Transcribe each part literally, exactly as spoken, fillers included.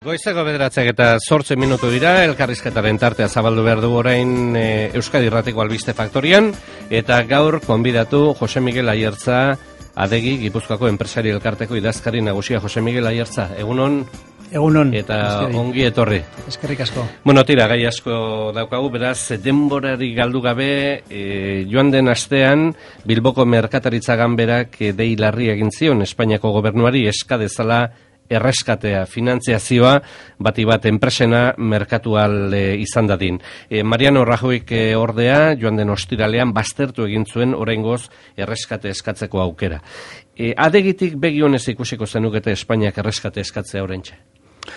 Goizeko bederatziak eta zortzi minutu dira, elkarrizketaren tartea zabaldu behar du orain e, Euskadi Irratiko Albiste Faktorian, eta gaur konbidatu Jose Miguel Ayertza, Adegi, Gipuzkoako enpresari elkarteko idazkari nagusia. Jose Miguel Ayertza, egunon? Egunon. Eta Eskeri. Ongi etorri. Eskerrik asko. Bueno, tira, gai asko daukagu, beraz, denborari galdu gabe, e, joan den astean, Bilboko Merkataritza Ganberak e, dei larri egin zion Espainiako gobernuari eska dezala erreskatea, finantziazioa, bati bat enpresena merkatual e, izan dadin. E, Mariano Rajoyk e, ordea, joan den ostiralean, baztertu egin zuen oraingoz erreskate eskatzeko aukera. E, Adegitik begionez ikusiko zenukete Espainiak erreskate eskatzea oraintxe?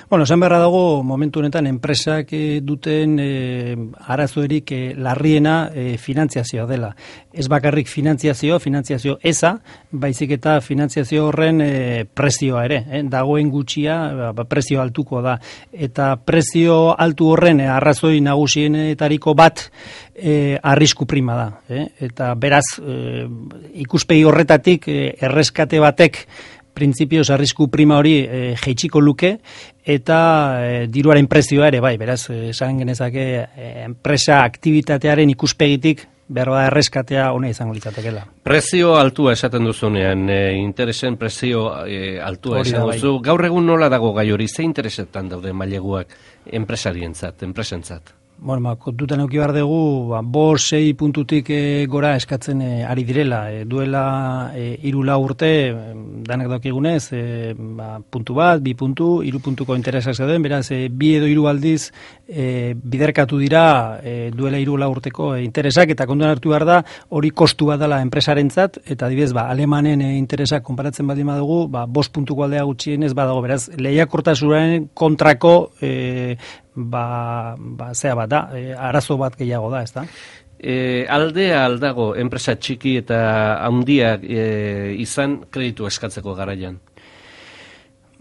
Bueno, esan beharra dago, momentu honetan enpresak e, duten e, arazoerik e, larriena e, finantziazioa dela. Ez bakarrik finantziazio, finantziazio eza, baizik eta finantziazio horren e, prezioa ere. Eh? Dagoen gutxia, ba, prezio altuko da. Eta prezio altu horren e, arrazoi nagusienetariko bat e, arrisku prima da. Eh? Eta beraz, e, ikuspegi horretatik e, erreskate batek printzipioz arrisku prima hori e, jeitsiko luke eta e, diruaren prezioa ere bai, beraz, esan genezake e, enpresa aktibitatearen ikuspegitik behar da erreskatea ona izango litzatekeela. Prezio altua esaten duzunean, e, interesen prezio e, altua esan duzu. Bai. Gaur egun nola dago gai hori, ze interesetan daude maileguak enpresarientzat, enpresentzat? Bueno, ba, kontutan eduki behar dugu, ba, bost, sei puntutik e, gora eskatzen e, ari direla. E, duela e, hiru lau urte, e, danak daukigunez, e, ba, puntu bat, bi puntu, hiru puntuko interesak zeuden, beraz, e, bi edo hiru aldiz e, biderkatu dira e, duela hiru lau urteko e, interesak, eta kontuan hartu behar da, hori kostu bat dela enpresarentzat, eta adibidez, ba, alemanen e, interesak konparatzen baldin badugu, ba, bost puntuko aldea gutxienez badago, beraz, lehiakortasunaren kontrako e, ba, ba zea bat da, e, arazo bat gehiago da, ez da? E, aldea aldago enpresa txiki eta handiak e, izan kreditu eskatzeko garaian?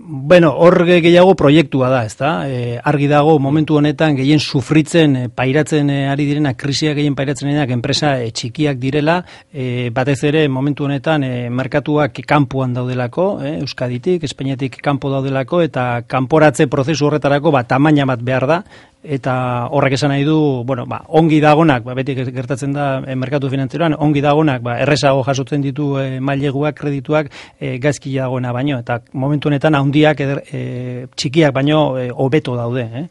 Bueno, hor gehiago proiektua da, ez da? E, argi dago momentu honetan gehien sufritzen, e, pairatzen e, ari direnak, krisiak gehien pairatzen direnak enpresa e, txikiak direla, e, batez ere momentu honetan e, merkatuak kanpoan daudelako, e, Euskaditik, Espainiatik kanpo daudelako, eta kanporatze prozesu horretarako ba, tamaina bat behar da, eta horrek esan nahi du, bueno, ba, ongi dagonak, ba, beti gertatzen da e, merkatu finantzieroan, ongi dagonak, ba, errezago jasotzen ditu e, maileguak, kredituak, e, gaizki dagoena baino, eta momentu honetan handiak eder, e, txikiak baino e, hobeto daude, eh?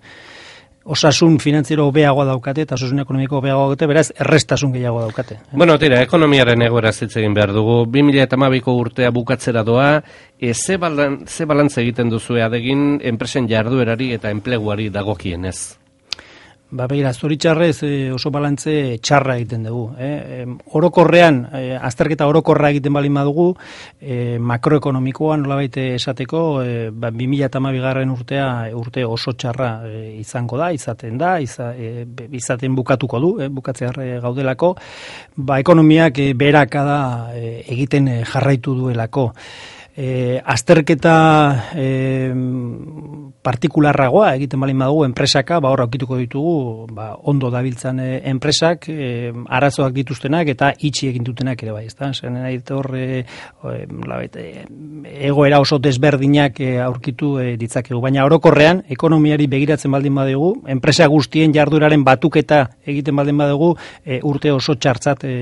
Osasun finantziero hobeagoa daukate eta osasun ekonomiko hobeagoa daukate, beraz errestasun gehiago daukate. Eh? Bueno, tira, ekonomiaren egoera hitz egin behar dugu. bi mila hamabiko urtea bukatzera doa, e, ze, balan, ze balantze egiten duzu Adegin enpresen jarduerari eta enpleguari dagokienez? Ba, begira, zoritxarrez e, oso balantze txarra egiten dugu. Eh? E, orokorrean, e, azterketa orokorra egiten balin badugu, e, makroekonomikoan nolabait esateko, e, ba, bi mila hamabigarren urtea urte oso txarra e, izango da, izaten da, iza, e, izaten bukatuko du, e, bukatzear e, gaudelako, ba, ekonomiak e, beherakada e, egiten e, jarraitu duelako. E, azterketa e, partikularragoa egiten balin badugu enpresaka, ba hor aukituko ditugu ba, ondo dabiltzan e, enpresak, e, arazoak dituztenak eta itxi egin dutenak ere bai, ezta? Zen nahi hor e, e, egoera oso desberdinak e, aurkitu e, ditzakegu, baina orokorrean ekonomiari begiratzen baldin badugu, enpresa guztien jarduraren batuketa egiten baldin badugu, e, urte oso txartzat e,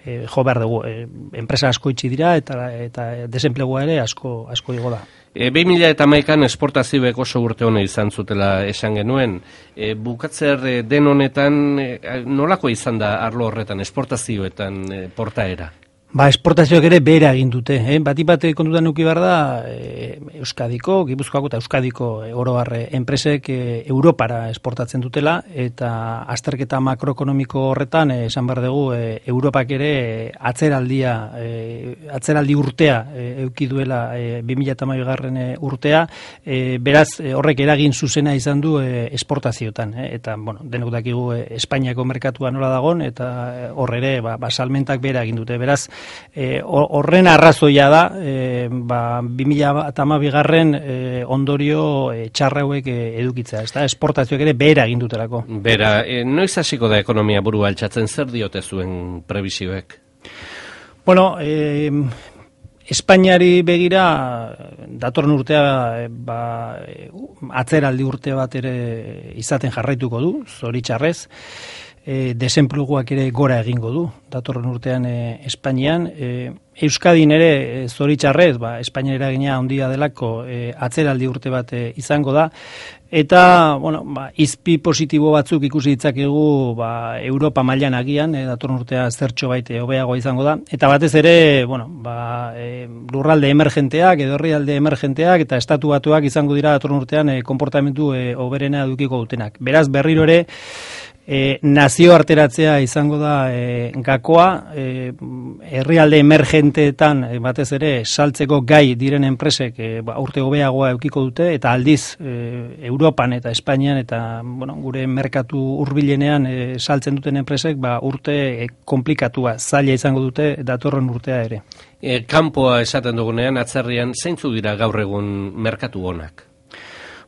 e, jo behar dugu. E, enpresa asko itxi dira eta, eta desenplegua ere asko asko igo da. E, bi mila hamaikan esportazioek oso urte hona izan zutela esan genuen. E, bukatzer e, den honetan e, nolako izan da arlo horretan, esportazioetan e, portaera? Ba, esportazioak ere behera egin dute. Eh? Batik bat kontutan nuki behar da, e, Euskadiko, Gipuzkoako eta Euskadiko e, oro har enpresek e, Europara esportatzen dutela, eta azterketa makroekonomiko horretan, e, esan behar dugu, e, Europak ere e, atzeraldia, e, atzeraldi urtea e, euki duela e, bi mila hamabigarren urtea, e, beraz e, horrek eragin zuzena izan du e, esportaziotan. Eh? Eta, bueno, denok dakigu e, Espainiako merkatua nola dagon, eta hor ere, ba, ba, salmentak behera egin dute. Beraz, E, horren arrazoia da, e, ba, bi mila hamabigarren e, ondorio e, txarra hauek e, edukitzea, ez da, esportazioak ere behera egin dutelako. Bera, e, noiz hasiko da ekonomia burua altxatzen, zer diote zuen prebisioek? Bueno, e, Espainiari begira, datorren urtea ba, atzeraldi urte bat ere izaten jarraituko du, zoritxarrez, e, desenpluguak ere gora egingo du, datorren urtean e, Espainian. E, Euskadin ere e, zoritxarrez, ba, Espainia eragina handia delako e, atzeraldi urte bat e, izango da, eta bueno, ba, izpi positibo batzuk ikusi ditzakegu ba, Europa mailan agian, e, datorren urtea zertxo baite hobeagoa izango da, eta batez ere bueno, ba, e, lurralde emergenteak edo herrialde emergenteak eta estatu batuak izango dira datorren urtean e, konportamentu e, hoberena edukiko dutenak. Beraz, berriro ere E, nazio arteratzea izango da e, gakoa, e, herrialde emergenteetan e, batez ere saltzeko gai diren enpresek e, ba, urte hobeagoa eukiko dute, eta aldiz e, Europan eta Espainian eta bueno, gure merkatu hurbilenean e, saltzen duten enpresek ba, urte e, komplikatua, zaila izango dute datorren urtea ere. E, kanpoa esaten dugunean, atzerrian, zeintzu dira gaur egun merkatu honak?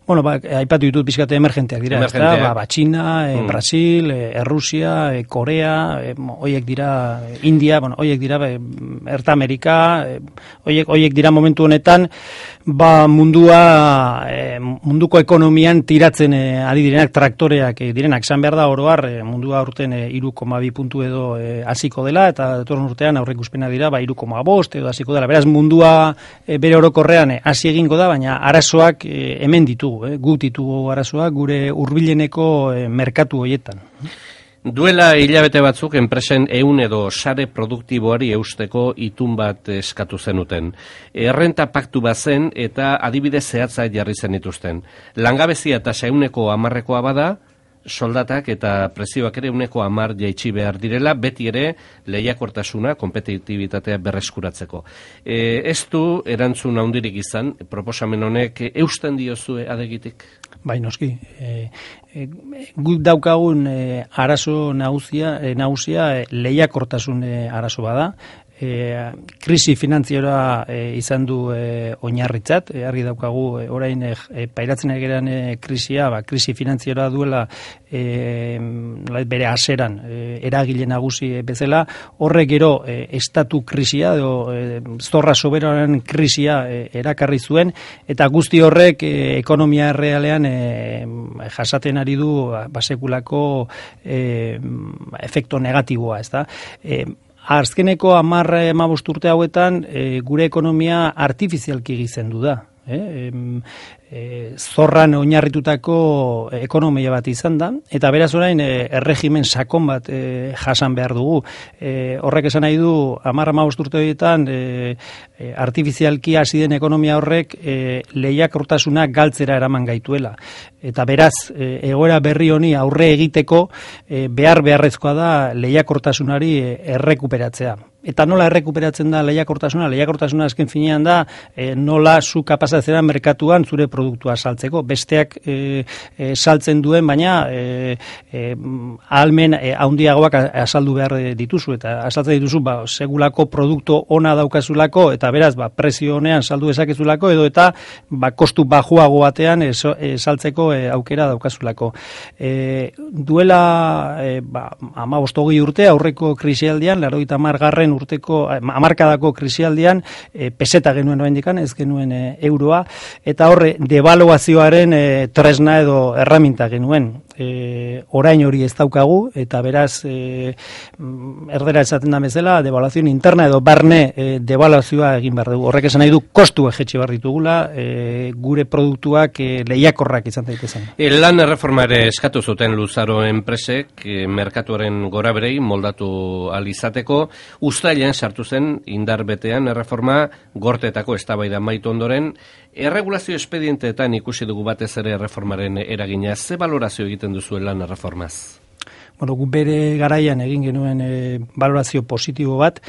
Bueno, ba, aipatu ditut pixkate emergenteak dira, Emergenteak. Ba, ba, Txina, e, Mm. Brasil, e, Errusia, e, Korea, e, hoiek dira, e, India, bueno, hoiek dira, e, Erta Amerika, e, hoiek, hoiek dira momentu honetan, ba, mundua, e, munduko ekonomian tiratzen e, ari direnak, traktoreak e, direnak, esan behar da oroar, e, mundua urten e, hiru koma bi puntu edo e, hasiko dela, eta datorren urtean aurreikuspena dira, ba, hiru koma bost edo hasiko dela. Beraz, mundua e, bere orokorrean e, hasi egingo da, baina arazoak e, hemen ditugu. Eh, gut ditugu arazoak gure hurbileneko eh, merkatu hoietan. Duela hilabete batzuk enpresen ehun edo sare produktiboari eusteko itun bat eskatu zenuten. Errenta paktu bazen eta adibide zehatza jarri zenituzten. Langabezia eta ehuneko hamarrekoa bada, soldatak eta prezioak ere ehuneko hamar jaitsi behar direla, beti ere lehiakortasuna, kompetitibitatea berreskuratzeko. E, ez du erantzun handirik izan, proposamen honek eusten diozue adegitik? Bai, noski. E, e, gut daukagun e, arazo nagusia, e, nagusia e, lehiakortasun e, arazo bada. E, krisi finanziera e, izan du e, oinarritzat, e, argi daukagu e, orain e, pairatzen egeran e, krisia, ba, krisi finanziera duela e, bere haseran e, eragile nagusi e, bezala, horrek gero e, estatu krisia edo e, zorra soberaren krisia e, erakarri zuen, eta guzti horrek e, ekonomia errealean e, jasaten ari du basekulako e, efekto negatiboa, ezta? E, Azkeneko hamar hamabost urte hauetan e, gure ekonomia artifizialki gizendu da. E, e, zorran oinarritutako ekonomia bat izan da, eta beraz orain e, erregimen sakon bat e, jasan behar dugu. E, horrek esan nahi du, hamar hamabost urte horietan e, e, artifizialki hasi den ekonomia horrek e, lehiakortasuna galtzera eraman gaituela. Eta beraz, e, egoera berri honi aurre egiteko e, behar beharrezkoa da lehiakortasunari e, errekuperatzea. Eta nola errekuperatzen da lehiakortasuna? Lehiakortasuna azken finean da e, nola zu kapazatzera merkatuan zure produktua saltzeko. Besteak e, e, saltzen duen, baina e, e, ahalmen e, handiagoak azaldu behar dituzu. Eta azaltzen dituzu, ba, segulako produktu ona daukazulako, eta beraz, ba, prezio honean saldu dezakezulako, edo eta ba, kostu bajuago batean e, so, e, saltzeko e, aukera daukazulako. E, duela e, ba, hamabost hogei urte, aurreko krisialdian, laurogeita hamar garren urteko hamarkadako krisialdian e, peseta genuen oraindikan, ez genuen e, euroa, eta horre devaluazioaren e, tresna edo erraminta genuen. E, orain hori ez daukagu, eta beraz e, erdera esaten da bezala, devaluazioa interna edo barne e, devaluazioa egin behar dugu. Horrek esan nahi du kostu ejetxe behar ditugula, e, gure produktuak e, lehiakorrak izan daitezen. E, lan erreforma ere eskatu zuten Luzaro enpresek e, merkatuaren goraberei moldatu alizateko, uztailean sartu zen indar betean erreforma gorteetako eztabaida amaitu ondoren. Erregulazio espedienteetan ikusi dugu batez ere erreformaren eragina. Ze balorazio egiten duzuen lan erreformaz? Bueno, gu bere garaian egin genuen e, balorazio positibo bat.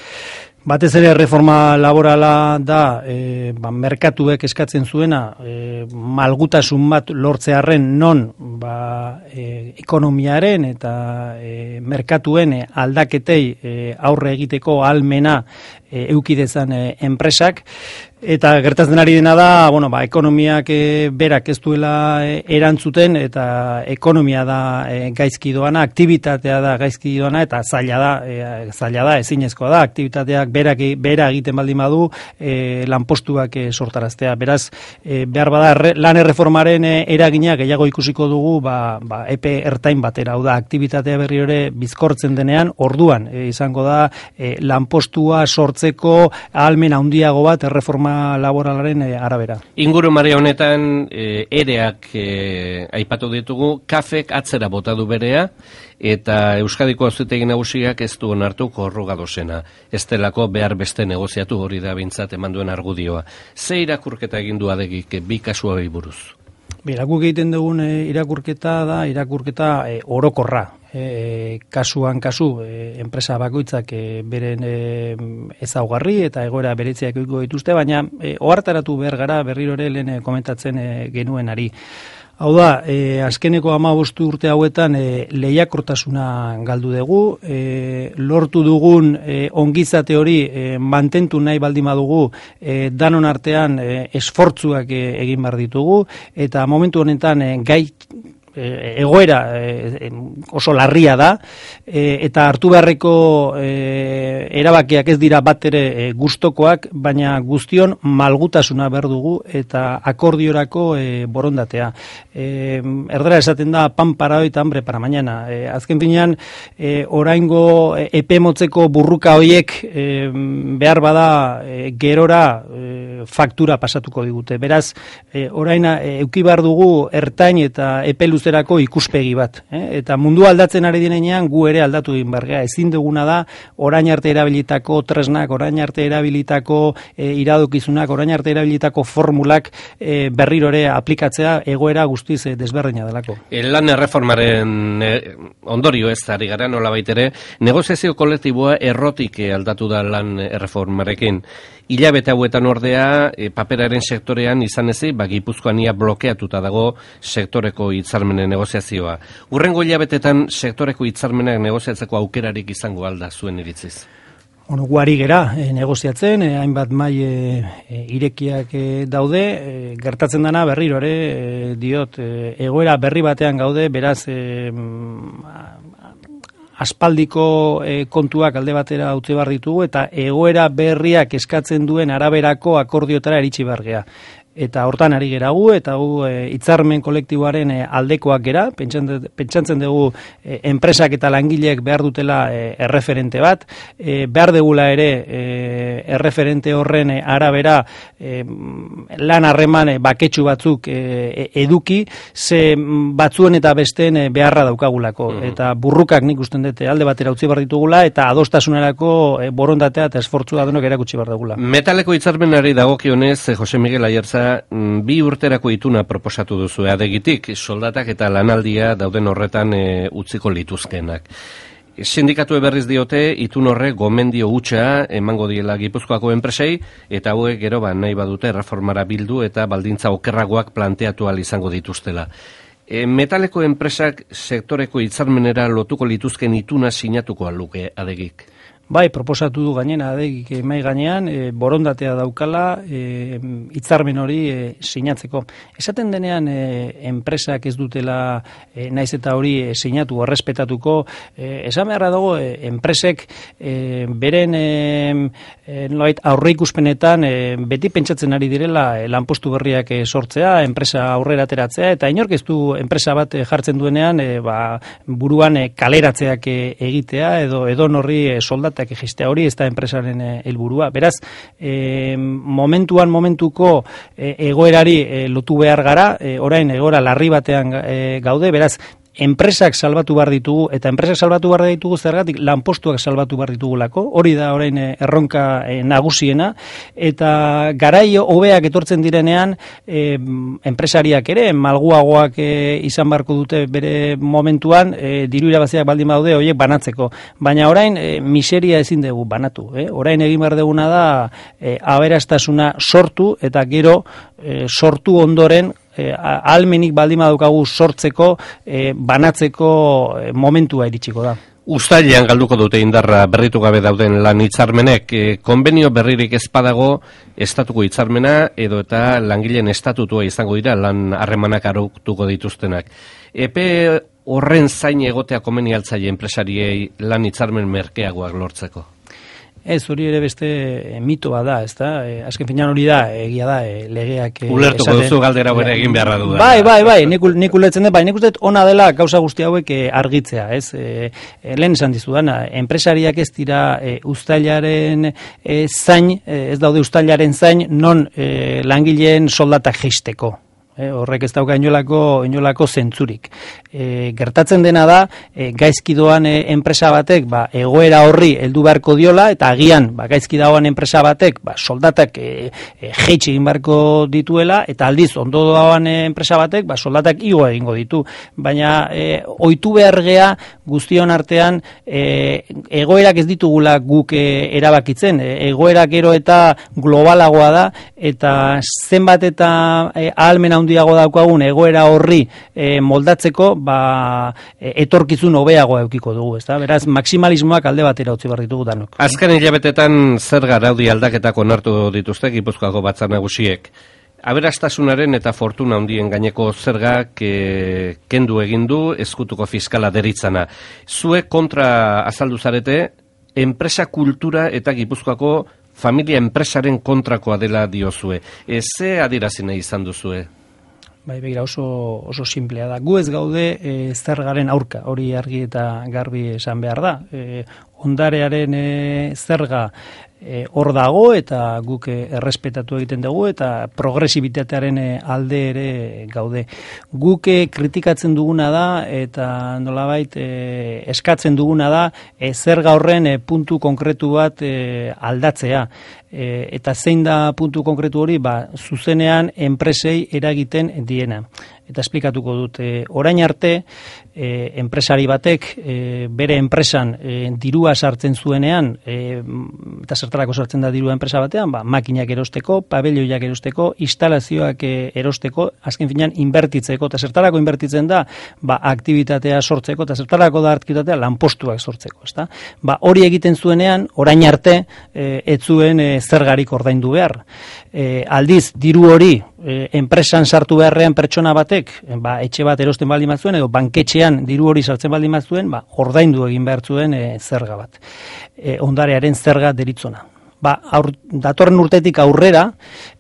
Batez ere reforma laborala da e, ba, merkatuek eskatzen zuena e, malgutasun bat lortzearren non ba, e, ekonomiaren eta e, merkatuen e, aldaketei e, aurre egiteko ahalmena e, eukidezan e, enpresak. Eta gertatzen ari dena da, bueno, ba, ekonomiak e, berak ez duela e, erantzuten, eta ekonomia da e, gaizki doana, aktibitatea da gaizki doana, eta zaila da, e, zaila da, ezinezkoa da, aktibitateak berak, bera egiten baldin badu, e, lanpostuak e, sortaraztea. Beraz, e, behar bada, re, lan erreformaren e, eragina gehiago ikusiko dugu, ba, ba, epe ertain batera, hau da, aktibitatea berri ere bizkortzen denean, orduan, e, izango da, e, lanpostua sortzeko ahalmen handiago bat erreforma laboralaren e, arabera. Inguru maria honetan e, ereak e, aipatu ditugu, kafek atzera bota du berea, eta Euskadiko Auzitegi Nagusiak ez du onartu korruga dosena. Ez delako behar beste negoziatu, hori da bintzat eman duen argudioa. Ze irakurketa egin du Adegik bi kasu hauei buruz? Guk egiten dugun e, irakurketa da, irakurketa e, orokorra. E, kasuan kasu, e, enpresa bakoitzak e, beren e, ezaugarri eta egoera beretziak egiko dituzte, baina e, ohartaratu behar gara berriro ere lehen e, komentatzen e, genuenari. Hau da, e, azkeneko hamabost urte hauetan e, lehiakortasuna galdu dugu, e, lortu dugun e, ongizate hori e, mantentu nahi baldin badugu e, danon artean e, esfortzuak e, egin behar ditugu, eta momentu honetan e, gai egoera e, oso larria da, e, eta hartu beharreko e, erabakiak ez dira bat ere e, gustokoak, baina guztion malgutasuna behar dugu eta akordiorako e, borondatea. E, erdera esaten da pan para hoy eta hambre para mañana. E, azken finean, e, oraingo epe motzeko burruka hoiek e, behar bada e, gerora e, faktura pasatuko digute. Beraz, e, orain e, euki behar dugu ertain eta epe luzerako ikuspegi bat. Eh? Eta mundu aldatzen ari dinean gu ere aldatu egin bargea. Ezin duguna da orain arte erabilitako tresnak, orain arte erabilitako e, iradokizunak, orain arte erabilitako formulak e, berriro ere aplikatzea egoera guztiz e, desberdina delako. Lan erreformaren e, ondorio ez ari gara nola baitere, negoziazio kolektiboa errotik aldatu da lan erreformarekin. Hilabete hauetan ordea, e, paperaren sektorean izan ezi, ba, Gipuzkoan ia blokeatuta dago sektoreko hitzarmenen negoziazioa. Hurrengo hilabetetan sektoreko hitzarmenak negoziatzeko aukerarik izango alda zuen iritziz? Bueno, guari gera e, negoziatzen, e, hainbat mai e, e, irekiak e, daude, e, gertatzen dana berriro ere, e, diot, e, egoera berri batean gaude, beraz, e, aspaldiko e, kontuak alde batera utzi behar ditugu eta egoera berriak eskatzen duen araberako akordiotara eritsi behar gea. Eta hortan ari gera gu, eta gu e, hitzarmen kolektiboaren e, aldekoak gera, pentsatzen dugu e, enpresak eta langileek behar dutela e, erreferente bat, e, behar degula ere e, erreferente horren e, arabera e, lan harreman e, baketsu batzuk e, eduki, ze batzuen eta besteen e, beharra daukagulako. Mm-hmm. Eta burrukak nik usten dute alde batera utzi behar ditugula, eta adostasunerako e, borondatea eta esfortzua denok erakutsi behar dugula. Metaleko hitzarmenari dagokionez, Jose Miguel Ayerza, bi urterako ituna proposatu duzu Adegitik, soldatak eta lanaldia dauden horretan e, utziko lituzkenak. Sindikatu berriz diote, itun horre gomendio hutsa emango diela Gipuzkoako enpresei, eta hauek gero ba, nahi badute reformara bildu eta baldintza okerragoak planteatu ahal izango dituztela. E, metaleko enpresak sektoreko hitzarmenera lotuko lituzken ituna sinatuko aluke Adegik? Bai, proposatu du gainena Adegik mai gainean, e, borondatea daukala e, hitzarmen hori e, sinatzeko. Esaten denean e, enpresak ez dutela e, naiz eta hori e, sinatu errespetatuko, e, esan beharra dago e, enpresek e, beren e, e, aurreikuspenetan e, beti pentsatzen ari direla e, lanpostu berriak e, sortzea, enpresa aurrera ateratzea, eta inork ez du enpresa bat e, jartzen duenean e, ba, buruan e, kaleratzeak e, egitea edo edo norri e, soldat egistea hori ez da enpresaren helburua. Beraz, e, momentuan momentuko e, egoerari e, lotu behar gara, e, orain egoera larri batean e, gaude, beraz, enpresak salbatu behar ditugu, eta enpresak salbatu behar ditugu zergatik lanpostuak salbatu behar ditugulako, hori da orain erronka e, nagusiena, eta garaio hobeak etortzen direnean e, enpresariak ere, malguagoak e, izan beharko dute bere momentuan, e, diru irabaziak baldin badaude horiek banatzeko, baina orain e, miseria ezin dugu banatu, eh? Orain egin behar duguna da e, aberastasuna sortu, eta gero e, sortu ondoren E, ahalmenik baldin badukagu sortzeko, e, banatzeko e, momentua iritsiko da. Uztailean galduko dute indarra berritu gabe dauden lan hitzarmenek, e, konbenio berririk ez badago estatuko hitzarmena edo eta langileen estatutua izango dira lan harremanak arautuko dituztenak. Epe horren zain egotea komeni altzaile enpresariei lan hitzarmen merkeagoak lortzeko? Ez, hori ere beste mito bada, ez da? E, azken finean hori da, egia da, e, legeak... E, Ulertuko esaten, duzu galdera bere egin beharra du da. Bai, bai, bai, nik, nik ulertzen dut, bai, nik uste ona dela gauza guzti hauek e, argitzea, ez? E, e, lehen esan dizudana, enpresariak ez dira e, uztailaren e, zain, e, ez daude uztailaren zain, non e, langileen soldatak jeisteko. E, horrek ez dauka inolako, inolako zentzurik. E, gertatzen dena da, e, gaizki doan e, enpresa batek ba, egoera horri heldu beharko diola, eta agian ba, gaizki doan enpresa batek ba, soldatak e, e, jeitsi egin beharko dituela, eta aldiz ondo doan e, enpresa batek ba, soldatak igo egingo ditu. Baina e, ohitu behar gea guztion artean e, egoerak ez ditugula guk e, erabakitzen. E, egoera gero eta globalagoa da, eta zenbat eta e, ahalmen handiago daukagun egoera horri e, moldatzeko, ba, e, etorkizun hobeagoa eukiko dugu, ezta? Beraz, maksimalismoak alde batera utzi behar ditugu danok. Azken hilabetetan zerga araudi aldaketak onartu dituzte Gipuzkoako batzar nagusiek. Aberastasunaren eta fortuna handien gaineko zergak e, kendu egin du ezkutuko fiskala deritzana. Zuek kontra azaldu zarete, enpresa kultura eta Gipuzkoako familia enpresaren kontrakoa dela diozue. E, ze adierazi nahi izan duzue? Bai, begira, oso, oso simplea da. Gu ez gaude e, zergaren aurka, hori argi eta garbi esan behar da. E, ondarearen e, zerga e, hor dago eta guk e, errespetatu egiten dugu eta progresibitatearen e, alde ere gaude. Guk e, kritikatzen duguna da eta nolabait e, eskatzen duguna da e, zerga horren e, puntu konkretu bat e, aldatzea. E, eta zein da puntu konkretu hori, ba, zuzenean enpresei eragiten diena. Eta esplikatuko dut, e, orain arte, e, enpresari batek e, bere enpresan e, dirua sartzen zuenean, e, eta zertarako sartzen da dirua enpresa batean, ba, makinak erosteko, pabelioiak erosteko, instalazioak e, erosteko, azken finean inbertitzeko, eta zertarako inbertitzen da, ba, aktibitatea sortzeko, eta zertarako da aktibitatea lanpostuak sortzeko. Ezta? Ba, hori egiten zuenean, orain arte, e, ez zuen e, zergarik ordaindu behar. E, aldiz, diru hori e, enpresan sartu beharrean pertsona batek, ba, etxe bat erosten baldin bat zuen, edo banketxean diru hori sartzen baldin bat zuen, ba, ordaindu egin behar zuen e, zerga bat. E, ondarearen zerga deritzona. Ba, aur, datorren urtetik aurrera,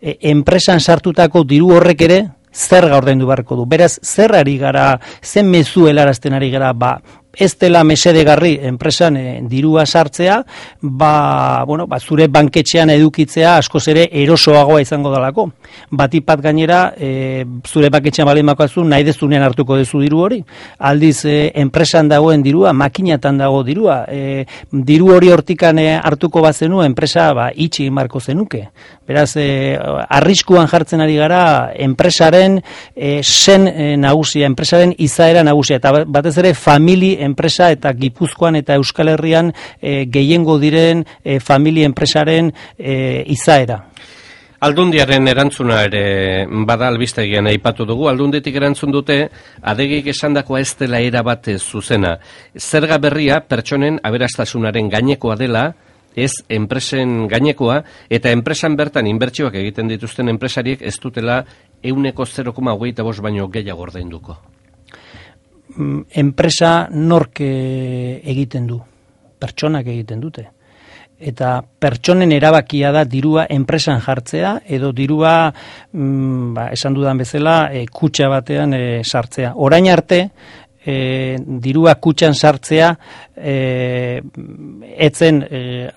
e, enpresan sartutako diru horrek ere zerga ordaindu beharko du. Beraz, zer ari gara, zen mezu helarazten ari gara, ba, ez dela mesedegarri enpresan e, dirua sartzea, ba, bueno, ba, zure banketxean edukitzea askoz ere erosoagoa izango dalako. Batipat gainera, e, zure banketxean balen makazu, nahi dezunean hartuko dezu diru hori. Aldiz, e, enpresan dagoen dirua, makinatan dago dirua. E, diru hori hortikan e, hartuko bazenu, enpresa ba, itxi marko zenuke. Beraz, e, arriskuan jartzen ari gara enpresaren e, sen e, nagusia, enpresaren izaera nagusia, eta batez ere famili enpresa eta Gipuzkoan eta Euskal Herrian e, gehiengo diren e, familia enpresaren e, izaera. Aldundiaren erantzuna ere bada albistegian aipatu dugu. Aldunditik erantzun dute adegik esandakoa ez dela era bat zuzena. Zerga berria pertsonen aberastasunaren gainekoa dela, ez enpresen gainekoa, eta enpresan bertan inbertsioak egiten dituzten enpresariek ez dutela ehuneko zero koma hogeita bost baino gehiago ordainduko. Enpresa nork egiten du, pertsonak egiten dute. Eta pertsonen erabakia da dirua enpresan jartzea, edo dirua, mm, ba, esan dudan bezala, e, kutxa batean e, sartzea. Orain arte, e, dirua kutxan sartzea, e, etzen e,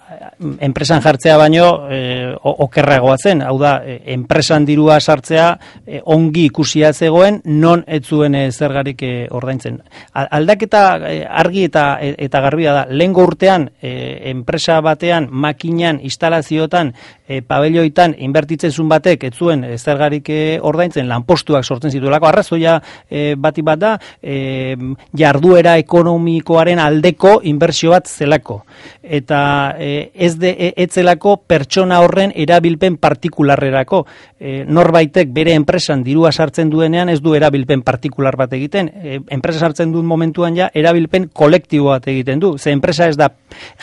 enpresan jartzea baino e, okerragoa zen, hau da, e, enpresan dirua sartzea e, ongi ikusia zegoen, non ez zuen e, zergarik e, ordaintzen. Aldaketa e, argi eta eta garbia da, lehengo urtean e, enpresa batean, makinan, instalazioetan, e, pabelioitan, inbertitzen zuen batek, ez zuen e, zergarik e, ordaintzen, lanpostuak sortzen zituelako, arrazoia e, bati bat da, e, jarduera ekonomikoaren aldeko inbertsio bat zelako. Eta e, ez de, e, etzelako pertsona horren erabilpen partikularrerako. E, norbaitek bere enpresan dirua sartzen duenean ez du erabilpen partikular bat egiten. E, enpresa sartzen duen momentuan ja erabilpen kolektibo bat egiten du. Ze enpresa ez da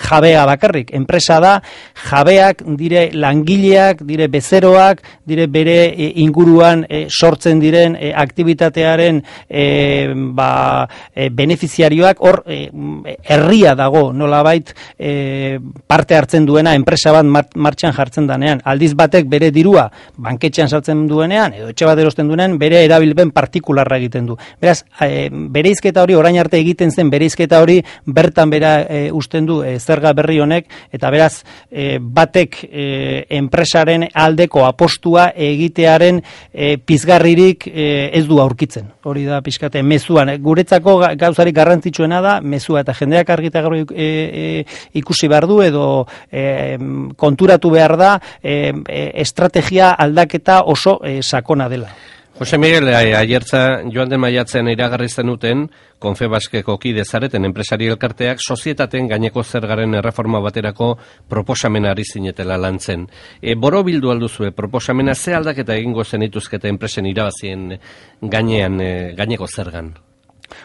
jabea bakarrik. Enpresa da jabeak, dire langileak, dire bezeroak, dire bere e, inguruan e, sortzen diren e, aktibitatearen e, ba, e, benefiziarioak, hor e, herria dago nolabait e, parte hartzen duena enpresa bat martxan jartzen danean. Aldiz batek bere dirua banketxean sartzen duenean, edo etxe bat erosten duenean, bere erabilpen partikularra egiten du. Beraz, e, bereizketa hori, orain arte egiten zen bereizketa hori, bertan bera e, usten du e, zerga berri honek, eta beraz, e, batek e, enpresaren aldeko apostua egitearen e, pizgarririk e, ez du aurkitzen. Hori da pizkate mezuan. Guretzako gauzarik garrantzitsuena da mezua, eta jendeak argita gaur e, e, ikusi behar du edo e, konturatu behar da e, e, estrategia aldaketa oso e, sakona dela. Jose Miguel, aiertza joan den maiatzean iragarri zenuten, Konfebaskeko kide zareten enpresari elkarteak sozietateen gaineko zergaren erreforma baterako proposamena ari zinetela lantzen. E, boro bildu alduzue, proposamena ze aldaketa egingo zenituzkete enpresen irabazien gainean, e, gaineko zergan?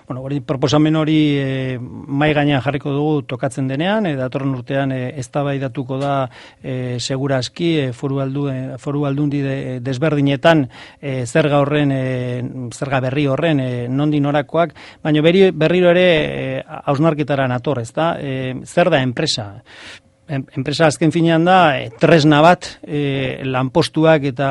Bueno, hori proposamen hori e, mai gainean jarriko dugu tokatzen denean, e, datorren urtean e, eztabaidatuko da e, segurazki e, foru, aldu, e, foru aldundi de, desberdinetan e, zerga horren, e, zerga berri horren e, nondi norakoak, baina berri, berriro ere e, hausnarketara nator, ezta? E, zer da enpresa? Enpresa azken finean da e, tresna bat e, lanpostuak eta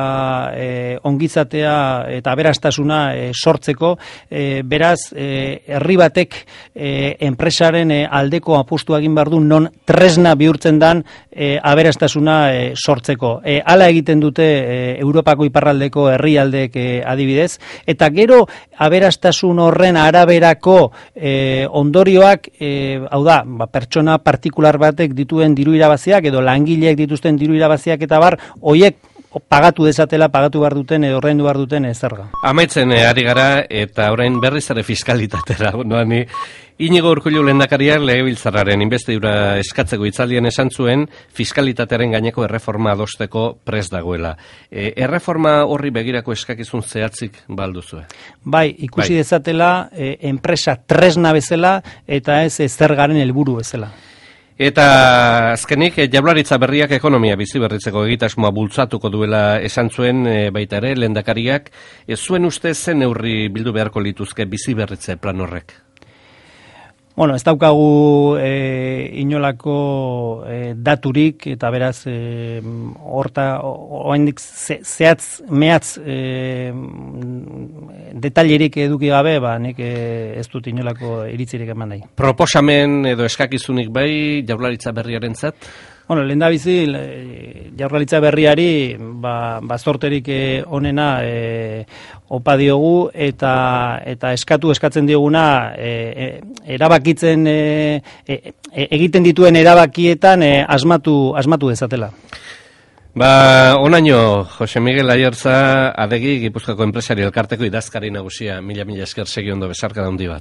e, ongizatea eta aberastasuna e, sortzeko, e, beraz e, herri batek e, enpresaren e, aldeko apustua egin behar du non tresna bihurtzen dan e, aberastasuna e, sortzeko. E, hala egiten dute e, Europako iparraldeko herrialdeek e, adibidez, eta gero aberastasun horren araberako e, ondorioak, e, hau da, ba, pertsona partikular batek dituen diru irabaziak edo langileek dituzten diru irabaziak eta bar, hoiek pagatu dezatela, pagatu behar duten edo ordaindu behar duten zerga. Amaitzen eh, ari gara eta orain berriz ere fiskalitatera. Noani, Inigo Urkullu lehendakariak legebiltzarraren inbestidura eskatzeko hitzaldian esan zuen fiskalitatearen gaineko erreforma adosteko prest dagoela. E, erreforma horri begirako eskakizun zehatzik balduzue? Bai, ikusi bai. dezatela e, enpresa tresna bezala eta ez zergaren helburu bezala. Eta azkenik, Jaurlaritza berriak ekonomia bizi berritzeko egitasmoa bultzatuko duela esan zuen e, baita ere lehendakariak, ez zuen uste zen neurri bildu beharko lituzke bizi berritze plan horrek? Bueno, ez daukagu e, inolako e, daturik eta beraz e, horta oraindik ze, zehatz mehatz e, detailerik eduki gabe, ba nik e, ez dut inolako iritzirik eman nahi. Proposamen edo eskakizunik bai Jaurlaritza berriarentzat? Bueno, lehendabizi Jaurlaritza berriari ba, ba zorterik onena e, opa diogu eta eta eskatu eskatzen dioguna e, e, erabakitzen e, e, egiten dituen erabakietan e, asmatu asmatu dezatela. Ba, onaino, Jose Miguel Aiertza, adegi Gipuzkoako enpresari elkarteko idazkari nagusia, mila mila esker segi ondo besarka da handi bat.